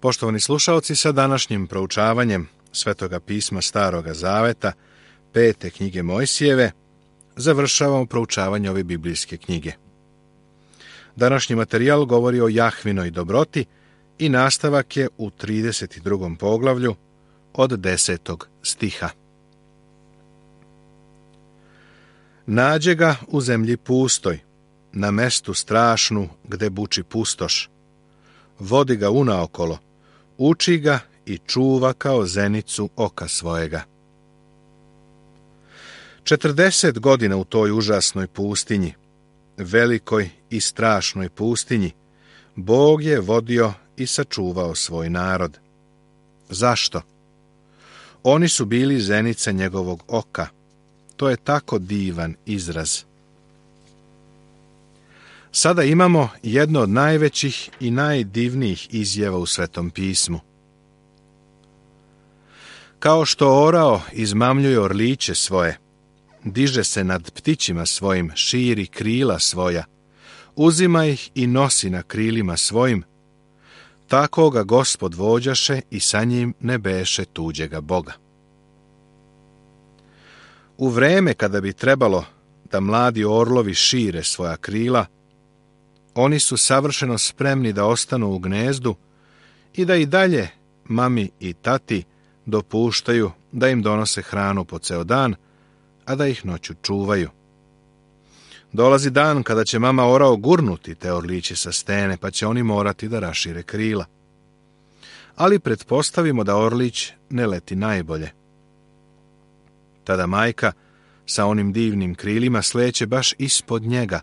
Poštovani slušaoci, sa današnjim proučavanjem Svetoga pisma Staroga Zaveta, 5. knjige Mojsijeve, završavamo proučavanje ove biblijske knjige. Današnji materijal govori o Jahvinoj dobroti i nastavak je u 32. poglavlju od 10. stiha. Nađe ga u zemlji pustoj, na mestu strašnu gde buči pustoš. Vodi ga unaokolo, uči ga i čuva kao zenicu oka svojega. 40 godina u toj užasnoj pustinji, velikoj i strašnoj pustinji, Bog je vodio i sačuvao svoj narod. Zašto? Oni su bili zenica njegovog oka. To je tako divan izraz. Sada imamo jedno od najvećih i najdivnijih izjava u Svetom pismu. Kao što orao izmamljuje orliće svoje, diže se nad ptićima svojim, širi krila svoja, uzima ih i nosi na krilima svojim, tako ga Gospod vođaše i sa njim ne beše tuđega Boga. U vreme kada bi trebalo da mladi orlovi šire svoja krila, oni su savršeno spremni da ostanu u gnezdu i da i dalje mami i tati dopuštaju da im donose hranu po ceo dan, a da ih noću čuvaju. Dolazi dan kada će mama orao gurnuti te orliće sa stene, pa će oni morati da rašire krila. Ali pretpostavimo da orlić ne leti najbolje. Tada majka sa onim divnim krilima sleće baš ispod njega,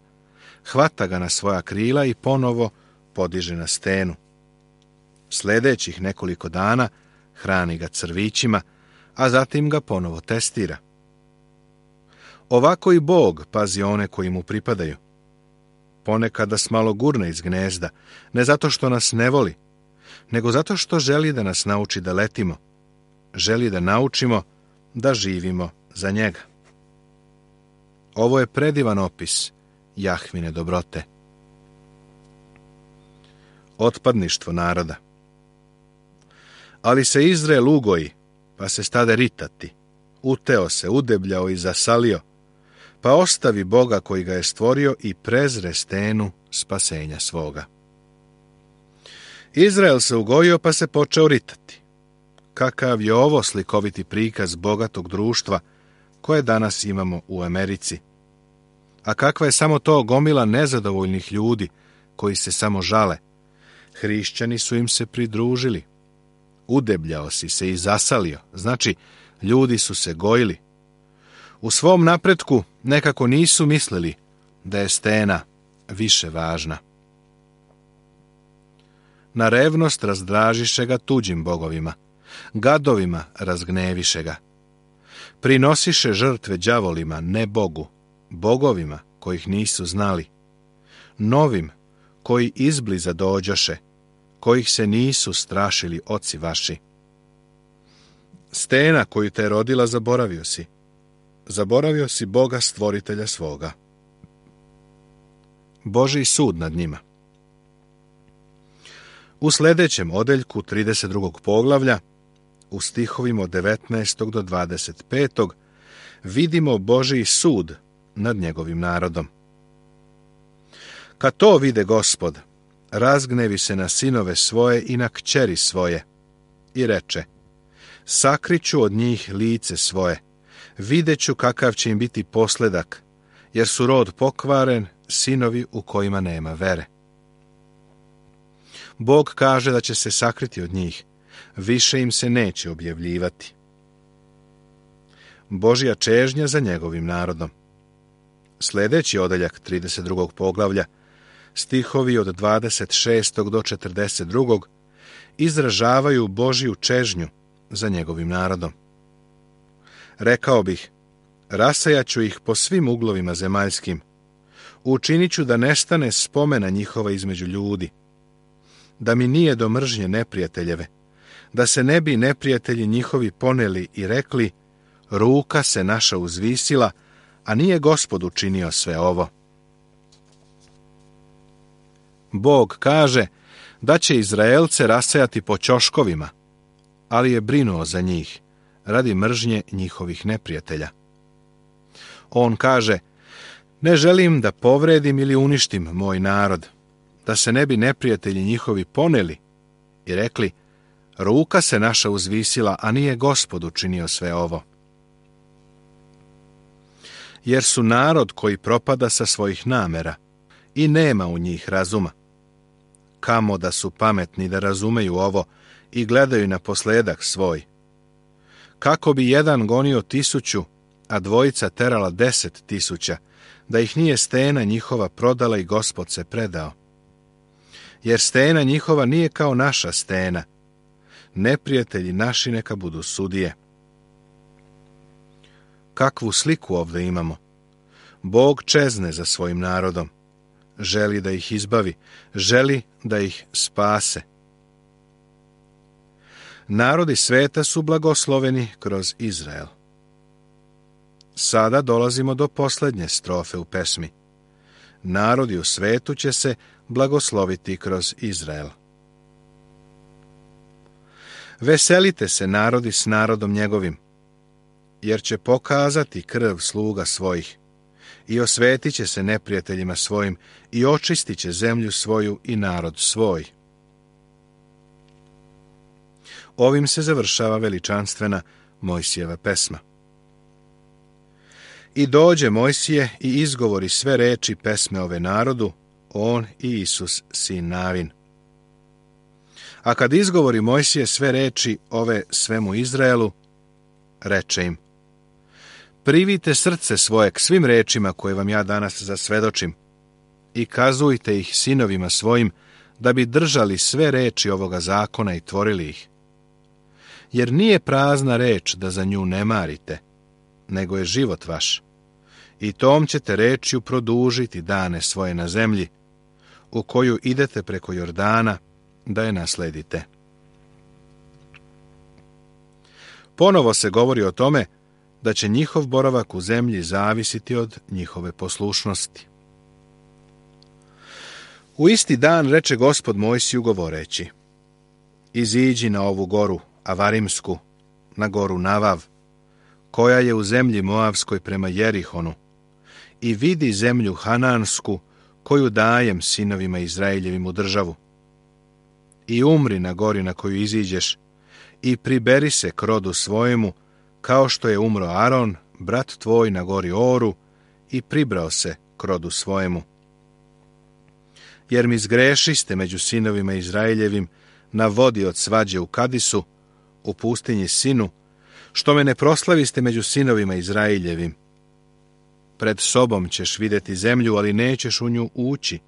hvata ga na svoja krila i ponovo podiže na stenu. Sljedećih nekoliko dana hrani ga crvićima, a zatim ga ponovo testira. Ovako i Bog pazi one koji mu pripadaju. Ponekad nas malo gurne iz gnezda, ne zato što nas ne voli, nego zato što želi da nas nauči da letimo. Želi da naučimo da živimo za njega. Ovo je predivan opis Jahvine dobrote. Otpadništvo naroda. Ali se Izrael ugoji, pa se stade ritati, uteo se, udebljao i zasalio, pa ostavi Boga koji ga je stvorio i prezre stenu spasenja svoga. Izrael se ugojio, pa se počeo ritati. Kakav je ovo slikoviti prikaz bogatog društva koje danas imamo u Americi? A kakva je samo to gomila nezadovoljnih ljudi koji se samo žale? Hrišćani su im se pridružili. Udebljao si se i zasalio, znači ljudi su se gojili. U svom napretku nekako nisu mislili da je stena više važna. Na revnost razdražiše ga tuđim bogovima, gadovima razgneviše ga. Prinosiše žrtve đavolima, ne Bogu, bogovima kojih nisu znali, novim koji izbliza dođoše, kojih se nisu strašili oci vaši. Stena koju te je rodila zaboravio si Boga stvoritelja svoga. Božji sud nad njima. U sljedećem odeljku 32. poglavlja, u stihovima od 19. do 25. vidimo Božji sud nad njegovim narodom. Kad to vide Gospod, razgnevi se na sinove svoje i na kćeri svoje i reče: sakriću od njih lice svoje, videću kakav će im biti posledak, jer su rod pokvaren, sinovi u kojima nema vere. Bog kaže da će se sakriti od njih, više im se neće objavljivati. Božja čežnja za njegovim narodom. Sljedeći odeljak 32. poglavlja, stihovi od 26. do 42. izražavaju Božju čežnju za njegovim narodom. Rekao bih, rasajaću ih po svim uglovima zemaljskim, učinit ću da nestane spomena njihova između ljudi, da mi nije do mržnje neprijateljeve, da se ne bi neprijatelji njihovi poneli i rekli: ruka se naša uzvisila, a nije Gospod učinio sve ovo. Bog kaže da će Izraelce rasejati po ćoškovima, ali je brinuo za njih, radi mržnje njihovih neprijatelja. On kaže, ne želim da povredim ili uništim moj narod, da se ne bi neprijatelji njihovi poneli i rekli, ruka se naša uzvisila, a nije Gospod učinio sve ovo. Jer su narod koji propada sa svojih namera i nema u njih razuma. Kamo da su pametni da razumeju ovo i gledaju na posledak svoj. Kako bi jedan gonio 1000, a dvojica terala 10.000, da ih nije stena njihova prodala i Gospod se predao. Jer stena njihova nije kao naša stena. Neprijatelji naši neka budu sudije. Kakvu sliku ovdje imamo? Bog čezne za svojim narodom. Želi da ih izbavi, želi da ih spase. Narodi sveta su blagosloveni kroz Izrael. Sada dolazimo do posljednje strofe u pesmi. Narodi u svetu će se blagosloviti kroz Izrael. Veselite se narodi s narodom njegovim, jer će pokazati krv sluga svojih i osvetit će se neprijateljima svojim i očistit će zemlju svoju i narod svoj. Ovim se završava veličanstvena Mojsijeva pesma. I dođe Mojsije i izgovori sve reči pesme ove narodu, on i Isus sin Navin. A kad izgovori Mojsije sve reči ove svemu Izraelu, reče im, privite srce svoje k svim rečima koje vam ja danas zasvedočim i kazujte ih sinovima svojim da bi držali sve reči ovoga zakona i tvorili ih. Jer nije prazna reč da za nju ne marite, nego je život vaš. I tom ćete rečju produžiti dane svoje na zemlji, u koju idete preko Jordana da je nasledite. Ponovo se govori o tome da će njihov boravak u zemlji zavisiti od njihove poslušnosti. U isti dan reče Gospod Mojsiju govoreći, iziđi na ovu goru, Avarimsku, na goru Navav, koja je u zemlji Moavskoj prema Jerihonu, i vidi zemlju Hanansku, koju dajem sinovima Izraeljevim u državu. I umri na gori na koju iziđeš, i priberi se k rodu svojemu, kao što je umro Aron, brat tvoj na gori Oru, i pribrao se k rodu svojemu. Jer mi zgrešiste među sinovima Izraeljevim na vodi od svađe u Kadisu, u pustinji Sinu, što me ne proslaviste među sinovima Izraeljevim. Pred sobom ćeš vidjeti zemlju, ali nećeš u nju ući,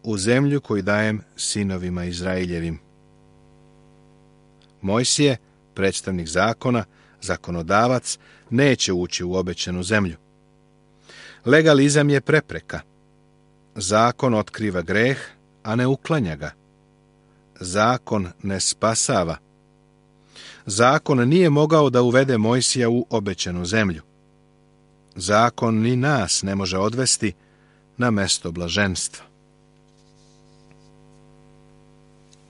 u zemlju koju dajem sinovima Izraeljevim. Mojsije, predstavnik zakona, zakonodavac, neće ući u obećanu zemlju. Legalizam je prepreka. Zakon otkriva greh, a ne uklanja ga. Zakon ne spasava. Zakon nije mogao da uvede Mojsija u obećanu zemlju. Zakon ni nas ne može odvesti na mesto blaženstva.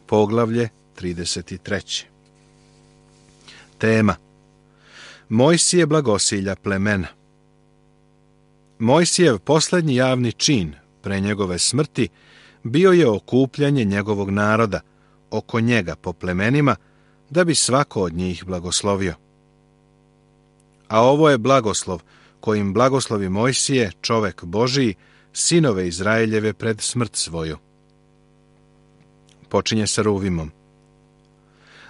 Poglavlje 33. Tema: Mojsije blagosilja plemena. Mojsijev posljednji javni čin pre njegove smrti bio je okupljanje njegovog naroda oko njega po plemenima, da bi svako od njih blagoslovio. A ovo je blagoslov kojim blagoslovi Mojsije, čovek Božiji, sinove Izraeljeve pred smrt svoju. Počinje sa Ruvimom.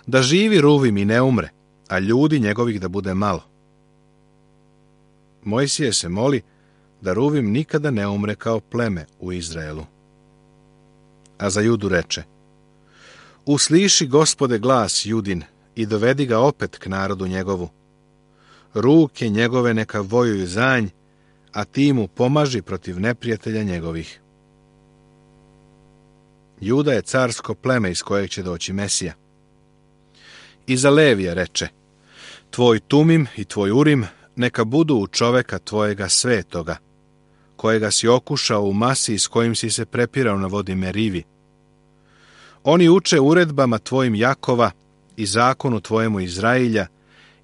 Da živi Ruvim i ne umre, a ljudi njegovih da bude malo. Mojsije se moli da Ruvim nikada ne umre kao pleme u Izraelu. A za Judu reče: usliši, Gospode, glas Judin i dovedi ga opet k narodu njegovu. Ruke njegove neka vojuju za nj, a ti mu pomaži protiv neprijatelja njegovih. Juda je carsko pleme iz kojeg će doći Mesija. I za Levija reče: tvoj Tumim i tvoj Urim neka budu u čoveka tvojega svetoga, kojega si okušao u masi s kojim si se prepirao na vodi Merivi. Oni uče uredbama tvojim Jakova i zakonu tvojemu Izrailja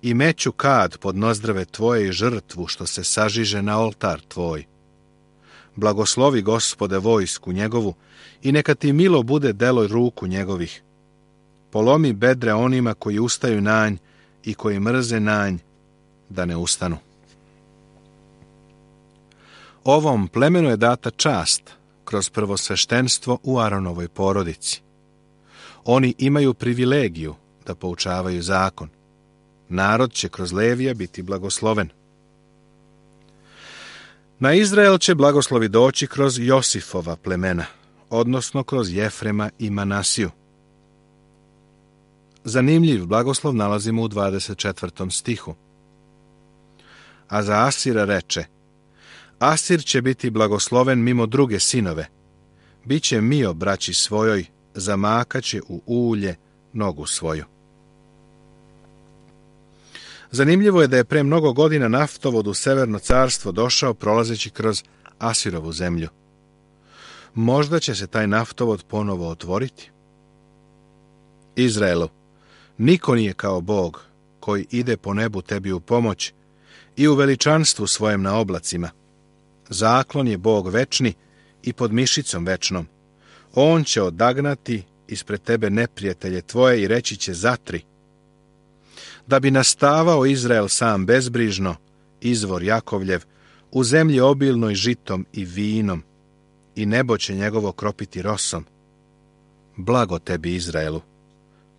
i meću kad pod nozdrave tvoje i žrtvu što se sažiže na oltar tvoj. Blagoslovi, Gospode, vojsku njegovu i neka ti milo bude delo ruku njegovih. Polomi bedre onima koji ustaju na nj i koji mrze na nj, da ne ustanu. Ovom plemenu je data čast kroz prvosveštenstvo u Aronovoj porodici. Oni imaju privilegiju da poučavaju zakon. Narod će kroz Levija biti blagosloven. Na Izrael će blagoslovi doći kroz Josifova plemena, odnosno kroz Jefrema i Manasiju. Zanimljiv blagoslov nalazimo u 24. stihu. A za Asira reče: Asir će biti blagosloven mimo druge sinove. Biće mio braći svojoj, zamakaće u ulje nogu svoju. Zanimljivo je da je pre mnogo godina naftovod u Severno carstvo došao prolazeći kroz Asirovu zemlju. Možda će se taj naftovod ponovo otvoriti. Izraelu, niko nije kao Bog koji ide po nebu tebi u pomoć i u veličanstvu svojem na oblacima. Zaklon je Bog večni i pod mišicom večnom. On će odagnati ispred tebe neprijatelje tvoje i reći će zatri. Da bi nastavao Izrael sam bezbrižno, izvor Jakovljev, u zemlji obilnoj žitom i vinom, i nebo će njegovo kropiti rosom. Blago tebi, Izraelu!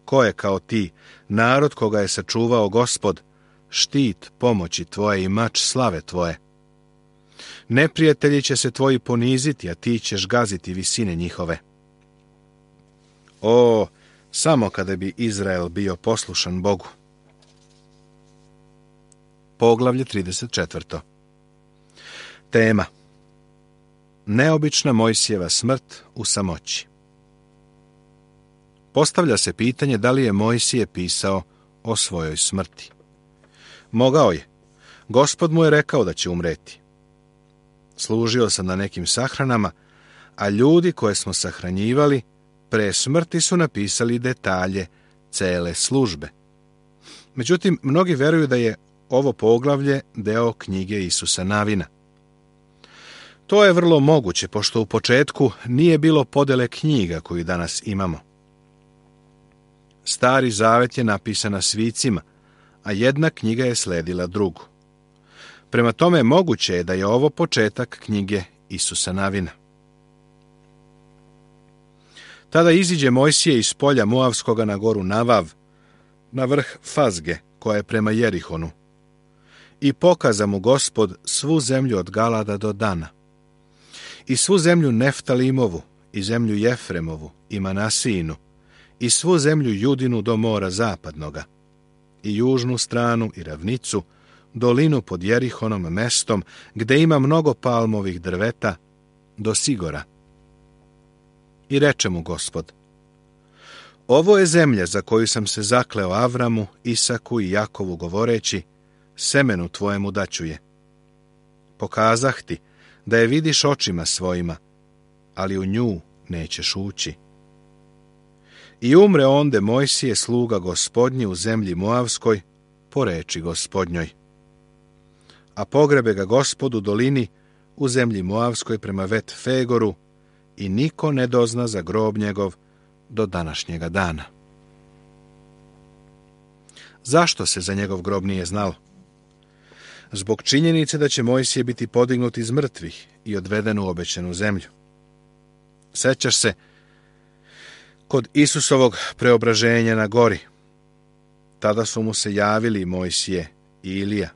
Ko je kao ti, narod koga je sačuvao Gospod, štit pomoći tvoje i mač slave tvoje? Neprijatelji će se tvoji poniziti, a ti ćeš gaziti visine njihove. O, samo kada bi Izrael bio poslušan Bogu. Poglavlje 34. Tema: neobična Mojsijeva smrt u samoći. Postavlja se pitanje da li je Mojsije pisao o svojoj smrti. Mogao je. Gospod mu je rekao da će umreti. Služio sam na nekim sahranama, a ljudi koje smo sahranjivali pre smrti su napisali detalje cele službe. Međutim, mnogi veruju da je ovo poglavlje deo knjige Isusa Navina. To je vrlo moguće, pošto u početku nije bilo podele knjiga koju danas imamo. Stari zavet je napisan na svicima, a jedna knjiga je sledila drugu. Prema tome, moguće je da je ovo početak knjige Isusa Navina. Tada iziđe Mojsije iz polja Moavskoga na goru Navav, na vrh Fazge, koja je prema Jerihonu, i pokaza mu Gospod svu zemlju od Galada do Dana, i svu zemlju Neftalimovu, i zemlju Jefremovu, i Manasijinu, i svu zemlju Judinu do mora zapadnoga, i južnu stranu i ravnicu, dolinu pod Jerihonom mestom, gde ima mnogo palmovih drveta, do Sigora. I reče mu Gospod: ovo je zemlja za koju sam se zakleo Avramu, Isaku i Jakovu govoreći: semenu tvojemu daću je. Pokazah ti da je vidiš očima svojima, ali u nju nećeš ući. I umre onde Mojsije sluga Gospodnji u zemlji Moavskoj, po reči Gospodnjoj. A pogrebe ga Gospod u dolini u zemlji Moavskoj prema Vet Fegoru, i niko ne dozna za grob njegov do današnjega dana. Zašto se za njegov grob nije znalo? Zbog činjenice da će Mojsije biti podignut iz mrtvih i odveden u obećanu zemlju. Sećaš se kod Isusovog preobraženja na gori. Tada su mu se javili Mojsije i Ilija.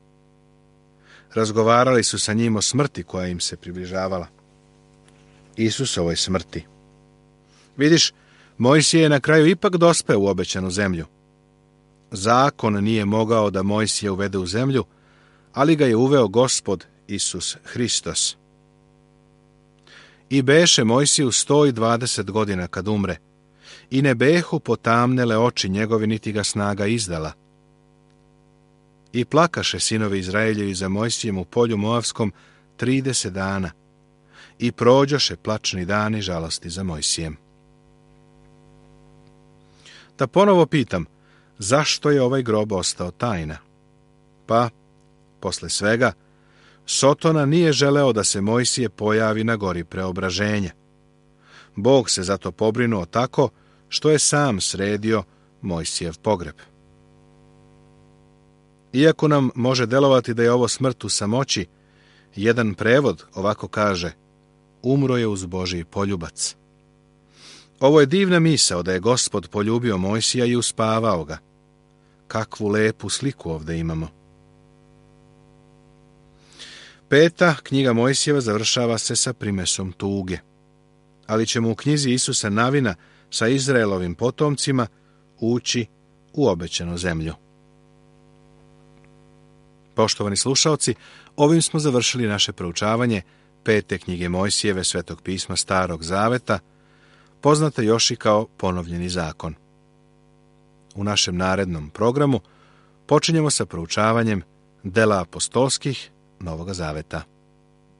Razgovarali su sa njim o smrti koja im se približavala. Isusovoj smrti. Vidiš, Mojsije je na kraju ipak dospeo u obećanu zemlju. Zakon nije mogao da Mojsije uvede u zemlju, ali ga je uveo Gospod Isus Hristos. I beše Mojsiju 120 godina kad umre, i ne behu potamnele oči njegovi, niti ga snaga izdala. I plakaše sinovi Izraeljevi za Mojsijem u polju Moavskom 30 dana, i prođoše plačni dani žalosti za Mojsijem. Da ponovo pitam, zašto je ovaj grob ostao tajna? Pa, posle svega, Sotona nije želeo da se Mojsije pojavi na gori preobraženja. Bog se zato pobrinuo tako što je sam sredio Mojsijev pogreb. Iako nam može delovati da je ovo smrt u samoći, jedan prevod ovako kaže: umro je uz Božji poljubac. Ovo je divna misao da je Gospod poljubio Mojsija i uspavao ga. Kakvu lepu sliku ovdje imamo. 5. knjiga Mojsijeva završava se sa primesom tuge, ali ćemo u knjizi Isusa Navina sa Izraelovim potomcima ući u obećanu zemlju. Poštovani slušaoci, ovim smo završili naše proučavanje 5. knjige Mojsijeve Svetog pisma Starog zaveta, poznate još i kao Ponovljeni zakon. U našem narednom programu počinjemo sa proučavanjem dela apostolskih Novoga zaveta.